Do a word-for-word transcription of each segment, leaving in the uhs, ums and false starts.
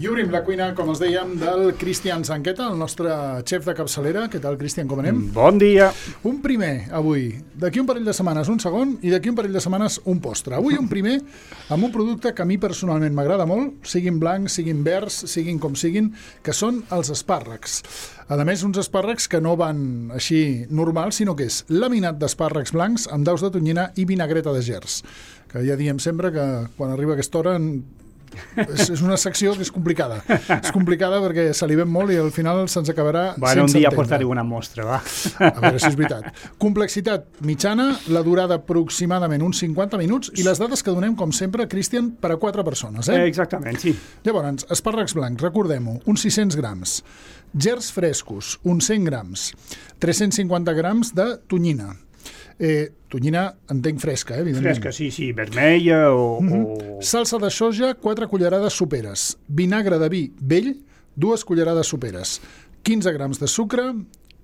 I obrim la cuina, com els dèiem, del Cristian Zanqueta, el nostre xef de capçalera. Què tal, Cristian, com anem? Bon dia. Un primer, avui. D'aquí un parell de setmanes un segon i d'aquí un parell de setmanes un postre. Avui un primer amb un producte que a mi personalment m'agrada molt, siguin blancs, siguin verds, siguin com siguin, que són els espàrrecs. A més, uns espàrrecs que no van així normals, sinó que és laminat d'espàrrecs blancs amb daus de tonyina i vinagreta de gerds. Que ja diem sempre que quan arriba aquesta hora és, és una secció que és complicada. És complicada perquè salivem molt i al final se'ns acabarà bueno, sense un dia entendre. portaré una mostra, va. A veure si és veritat. Complexitat mitjana, la durada aproximadament uns cinquanta minuts i les dades que donem, com sempre, Cristian, per a quatre persones. Eh? Eh, exactament, sí. Llavors, espàrrecs blancs, recordem-ho, uns sis-cents grams. Gerds frescos, uns cent grams. tres-cents cinquanta grams de tonyina. Eh, tonyina, entenc fresca, eh, evidentment. Fresca, sí, sí, vermella o... Mm-hmm. o... Salsa de soja, quatre cullerades soperes. Vinagre de vi vell, dues cullerades soperes. quinze grams de sucre,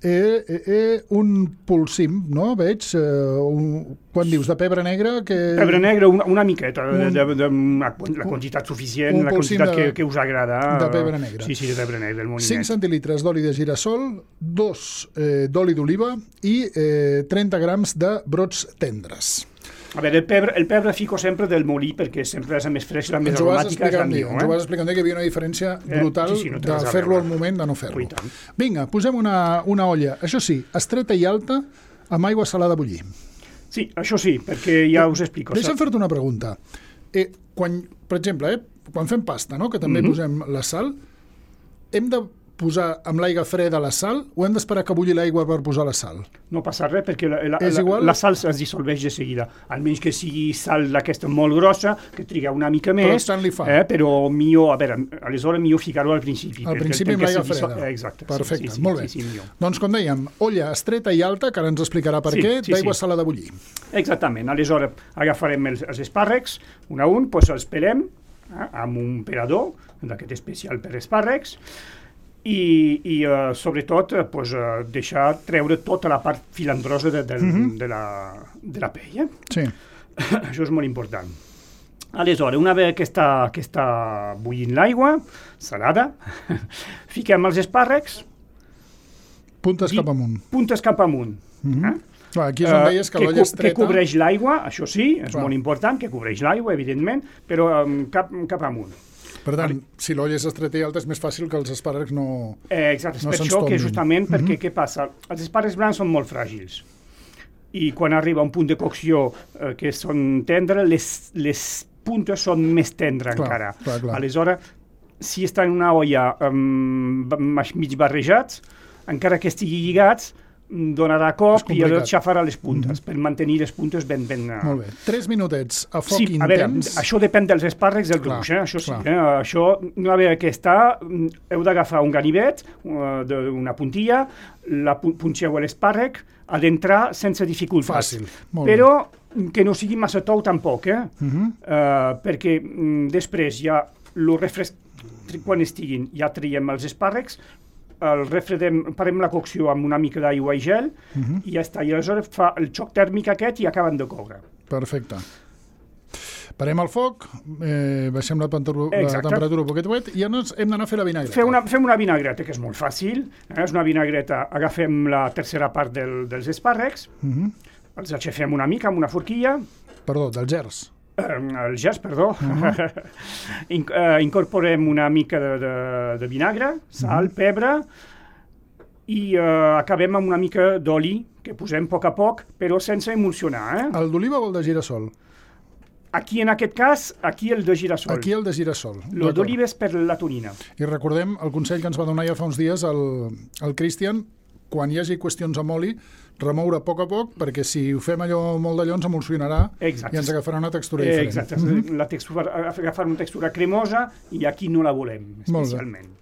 eh, eh, eh, un polsim, no? Veig, eh, un, quan dius, de pebre negre... Que... Pebre negre, una, una miqueta, un, de, de, de, la, la quantitat suficient, la quantitat de, que, que us agrada. De pebre negre. Sí, sí, de pebre negre, del molinet. cinc centilitres d'oli de girassol, dos eh, d'oli d'oliva i eh, trenta grams de brots tendres. A veure, el pebre, el pebre fico sempre del molí perquè sempre és la més fresca, la més aromàtica és la millor. Ens ho vas explicant, que hi havia una diferència brutal eh, sí, sí, no de fer-lo al moment de no fer-lo. Vinga, posem una, una olla, això sí, estreta i alta, amb aigua salada a bullir. Sí, això sí, perquè ja us explico. Deixa'm fer-te una pregunta. Eh, quan, per exemple, eh, quan fem pasta, no?, que també mm-hmm. posem la sal, hem de posar amb l'aigua freda la sal o hem d'esperar que bulli l'aigua per posar la sal? No passa res perquè la, la, la, la sal es dissolveix de seguida, almenys que sigui sal d'aquesta molt grossa, que triga una mica més, però, li fa. Eh, però millor, a veure, aleshores millor ficar-ho al principi. Al principi amb l'aigua freda. Eh, exacte. Perfecte, sí, sí, molt bé. Sí, sí, doncs com dèiem, olla estreta i alta, que ara ens explicarà per sí, què, sí, d'aigua sí. salada a bullir. Exactament, aleshores agafarem els, els espàrrecs, un a un, doncs els pelem eh, amb un pelador, d'aquest especial per espàrrecs, i, i uh, sobretot uh, pues, uh, deixar treure tota la part filandrosa de, de, mm-hmm. de, la, de la pell. Eh? Sí. Això és molt important. Aleshores, una vegada que està, que està bullint l'aigua, salada, fiquem els espàrrecs. Puntes cap amunt. Puntes cap amunt. Mm-hmm. eh? Clar, aquí és on deies que, que l'olla estreta... Que cobreix l'aigua, això sí, és Clar. molt important, que cobreix l'aigua, evidentment, però um, cap, cap amunt. Per tant, si l'olla és estreta i alta és més fàcil que els espàrrecs no eh, Exacte, és no per això que justament, mm-hmm. perquè què passa? Els espàrrecs blancs són molt fràgils i quan arriba a un punt de cocció eh, que són tendres, les, les puntes són més tendres clar, encara. Clar, clar. Aleshores, si està en una olla um, mig barrejats, encara que estigui lligats, donarà cop i xafarà les puntes, mm-hmm. per mantenir les puntes ben... ben Molt bé. Tres minutets a foc sí, intens. A veure, això depèn dels espàrrecs del gruix, eh? això sí. Eh? Això, una vegada que està, heu d'agafar un ganivet, uh, una puntilla, la punxeu a l'espàrrec, a d'entrar sense dificultat. Fàcil. Molt Però bé. que no sigui massa tou tampoc, eh? Mm-hmm. uh, perquè mm, després ja lo refresc... quan estiguin ja traiem els espàrrecs, el refredem, parem la cocció amb una mica d'aigua i gel uh-huh. i ja està, i aleshores fa el xoc tèrmic aquest i acaben de coure. Perfecte. Parem el foc, eh, baixem la, la temperatura un poquet wet i ja ens hem d'anar a fer la vinagreta. Fem una, fem una vinagreta, que és molt fàcil, eh? És una vinagreta, agafem la tercera part del, dels espàrrecs, uh-huh. els aixafem una mica amb una forquilla. Perdó, dels gerds. El gest, perdó. Uh-huh. In, uh, incorporem una mica de, de, de vinagre, sal, uh-huh. pebre, i uh, acabem amb una mica d'oli, que posem a poc a poc, però sense emulsionar. Eh? El d'oliva o el de girassol? Aquí, en aquest cas, aquí el de girassol. Aquí el de girassol. El d'oliva és per la tonyina. I recordem el consell que ens va donar ja fa uns dies el, el Cristian, quan hi hagi qüestions amb oli, remoure a poc a poc, perquè si ho fem allò molt d'allò ens emulsionarà Exacte. i ens agafarà una textura diferent. Exacte, mm-hmm. la textura, agafar una textura cremosa i aquí no la volem, especialment.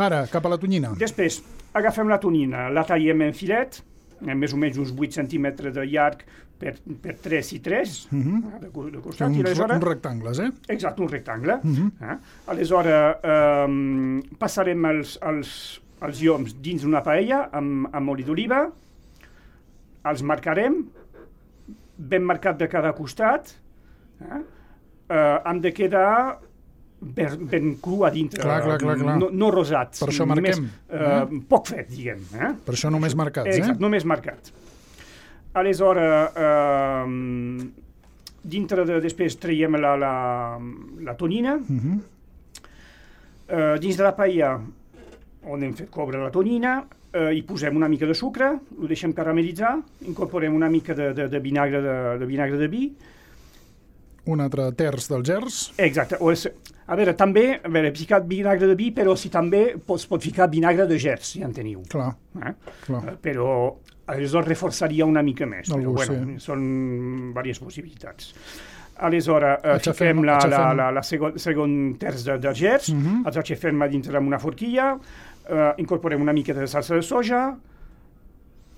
Ara, cap a la tonyina. Després, agafem la tonyina, la tallem en filet, més o menys uns vuit centímetres de llarg per, per tres i tres, mm-hmm. de, de costat. Uns, I aleshores, uns rectangles, eh? Exacte, un rectangle. Mm-hmm. eh? Aleshores, eh, passarem els, els, els lloms dins d'una paella amb, amb oli d'oliva, els marcarem, ben marcat de cada costat, eh? Eh, han de quedar ben, ben cru a dintre, clar, clar, clar, clar. No, no rosat. Per això marquem. Més, eh, eh? Poc fet, diguem. Eh? Per això només marcats, eh? Exacte, només marcat. Aleshores, eh, dintre de, després traiem la, la, la tonina. Uh-huh. eh, dins de la paella, on hem fet coure la tonina, eh, hi posem una mica de sucre, ho deixem caramelitzar, incorporem una mica de, de, de, vinagre, de, de vinagre de vi. Un altre terç del gers. Exacte. O és, a veure, també, a veure, he ficat vinagre de vi, però si també pots, pot ficar vinagre de gers, si en teniu. Clar, eh? clar. Eh, però aleshores reforçaria una mica més. El però, gust, bueno, sí. són diverses possibilitats. Aleshores, eh, Aixafem, fiquem la, la, aixafem. la, la segon, segon terç de, de gers, uh Mhm. -huh. els aixafem a dintre amb una forquilla, eh, incorporem una mica de salsa de soja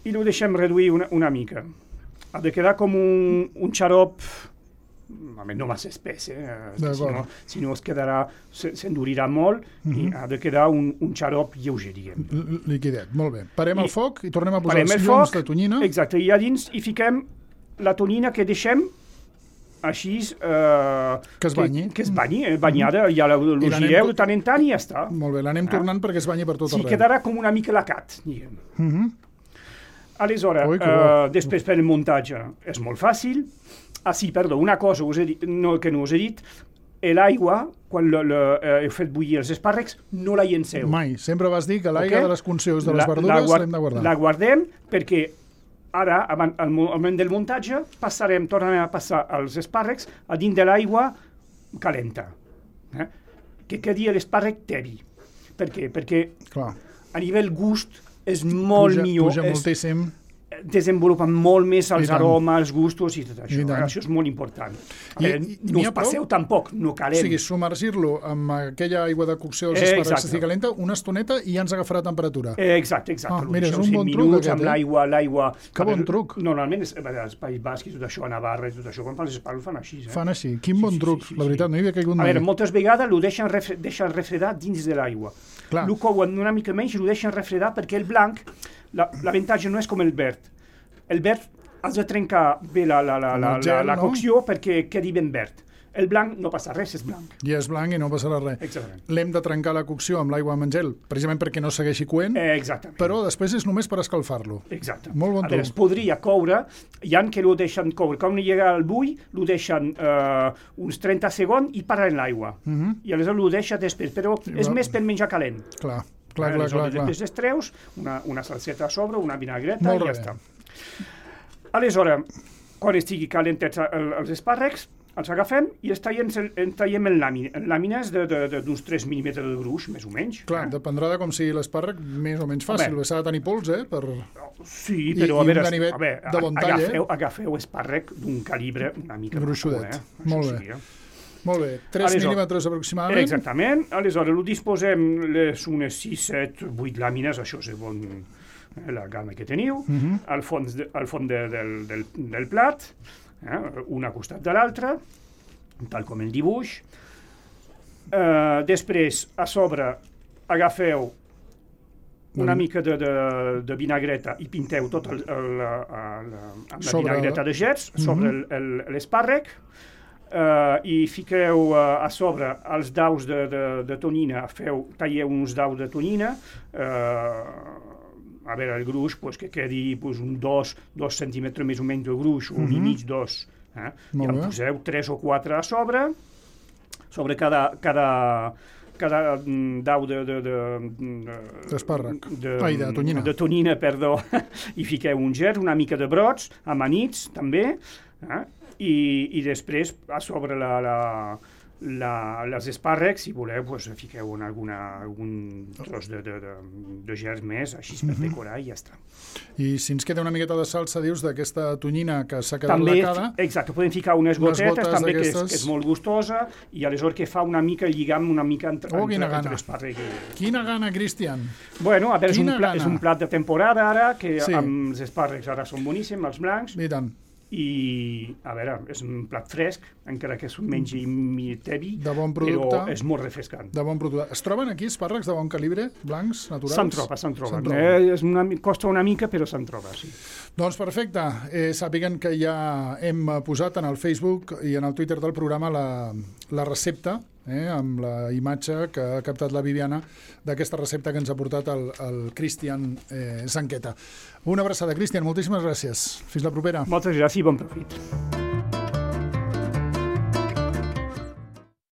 i ho deixem reduir una, una mica. Ha de quedar com un, un xarop, a més, no massa espès, eh? si, no, si no es quedarà, s'endurirà molt, uh -huh. i ha de quedar un, un xarop lleuger, diguem. L liquidet, molt bé. Parem I, el foc i tornem a posar els els llums llums de tonyina. Exacte, i a dins hi fiquem la tonina que deixem així... Eh, que es banyi. Que, que es banyi, eh, banyada, ja la, la gireu de tant en tant i ja està. Molt bé, l'anem tornant ah. perquè es banyi per tot sí, arreu. Sí, quedarà com una mica lacat, diguem. Uh -huh. Aleshores, Ui, eh, després per el muntatge és molt fàcil. Ah, sí, perdó, una cosa us he dit, no, que no us he dit, l'aigua, quan lo, lo, eh, heu fet bullir els espàrrecs, no la llenceu. Mai, sempre vas dir que l'aigua okay? de les conserves de les verdures l'hem de guardar. La guardem perquè ara, al moment del muntatge, passarem, tornarem a passar els espàrrecs a dins de l'aigua calenta. Eh? Que quedi l'espàrrec tebi. Per què? Perquè Clar. a nivell gust és molt puja, millor. Puja és, moltíssim. Desenvolupa molt més els aromes, els gustos i tot això. I eh? Això és molt important. I, eh, i, no us passeu tampoc, no calem. O sigui, submergir-lo amb aquella aigua de cocció dels espàrrecs que estigui calenta una estoneta i ja ens agafarà temperatura. Eh, exacte, exacte. Ah, mira, és un bon truc aquest, amb eh? l'aigua, l'aigua... Que bon truc. Normalment, és, als Països Bascs i tot això, a Navarra i tot això, quan fan els espàrrecs fan així. Eh? Fan així. Quin bon sí, truc. Sí, sí, la veritat, sí. no hi havia caigut mai. A veure, mai. moltes vegades ho deixen, refre deixen refredar dins de l'aigua. Ho couen una mica menys i ho deixen refredar perquè el blanc, l'avantatge no és com el verd. El verd has de trencar bé la, la, la, la, gel, la, la cocció, no? Perquè quedi ben verd. El blanc no passa res, és blanc. I és blanc i no passarà res. Exactament. L'hem de trencar la cocció amb l'aigua amb gel, precisament perquè no segueixi coent, eh, exactament. Però després és només per escalfar-lo. Exacte. Molt bon a veure, es podria coure, hi ha que ho deixen coure, quan llega al bull, ho deixen eh, uns trenta segons i paren l'aigua. Uh -huh. I aleshores ho deixa després, però sí, és va... més per menjar calent. Clar, clar, clar, clar. Després es treus, una, una salseta a sobre, una vinagreta i ja està. Aleshores, quan estigui calentats els espàrrecs, els agafem i els tallem, els tallem en, làmina, en làmines d'uns tres mil·límetres de gruix, més o menys. Clar, eh? Dependrà de com sigui l'espàrrec, més o menys fàcil. S'ha de tenir pols, eh? Per... Sí, però I, a veure, a veure de bon tall, agafeu, eh? agafeu espàrrec d'un calibre una mica gruixudet. Eh? Molt bé. Sí, eh? Molt bé, tres mil·límetres aproximadament. Exactament. Aleshores, ho disposem les unes sis, set, vuit làmines, això és bon, eh, la gamma que teniu, uh -huh. al fons, de, al fons de, del, del, del plat, eh, una costat de l'altra, tal com el dibuix. Uh, després, a sobre, agafeu una mm. mica de, de, de vinagreta i pinteu tot el, el, el, el, amb la sobre... vinagreta de gers sobre mm -hmm. l'espàrrec. Uh, i fiqueu uh, a sobre els daus de, de, de tonyina, feu, talleu uns daus de tonyina, uh, a veure, el gruix, pues, que quedi pues, un dos, dos centímetres més o menys de gruix, un mm -hmm. i mig, dos. Eh? I en poseu tres o quatre a sobre, sobre cada, cada, cada dau de... de, de, d'espàrrec. De, Ai, de tonyina. De tonyina, perdó. I fiqueu un gers, una mica de brots, amanits, també, eh? I, i després, a sobre la, la, la, les espàrrecs, si voleu, pues, fiqueu en alguna, algun tros de, de, de, de gers més, així per decorar i ja està. I si ens queda una miqueta de salsa, dius, d'aquesta tonyina que s'ha quedat també, lacada... Exacte, podem ficar unes gotetes, també, que és, que és molt gustosa, i aleshores que fa una mica el lligam, una mica entre, oh, entre, entre l'espàrrec. I... Quina gana, Cristian! Bueno, a veure, és un, plat, és un plat de temporada ara, que sí. Amb els espàrrecs ara són boníssims, els blancs. I tant. I, a veure, és un plat fresc, encara que és un menys tebi, de bon producte, però és molt refrescant. De bon producte. Es troben aquí espàrrecs de bon calibre, blancs, naturals? Se'n troba, se'n troba. troba. Eh, és una, costa una mica, però se'n troba, sí. Doncs perfecte. Eh, sàpiguen que ja hem posat en el Facebook i en el Twitter del programa la, la recepta, eh, amb la imatge que ha captat la Viviana d'aquesta recepta que ens ha portat el, el Cristian eh, Zanqueta. Una abraçada, Cristian, moltíssimes gràcies. Fins la propera. Moltes gràcies i bon profit.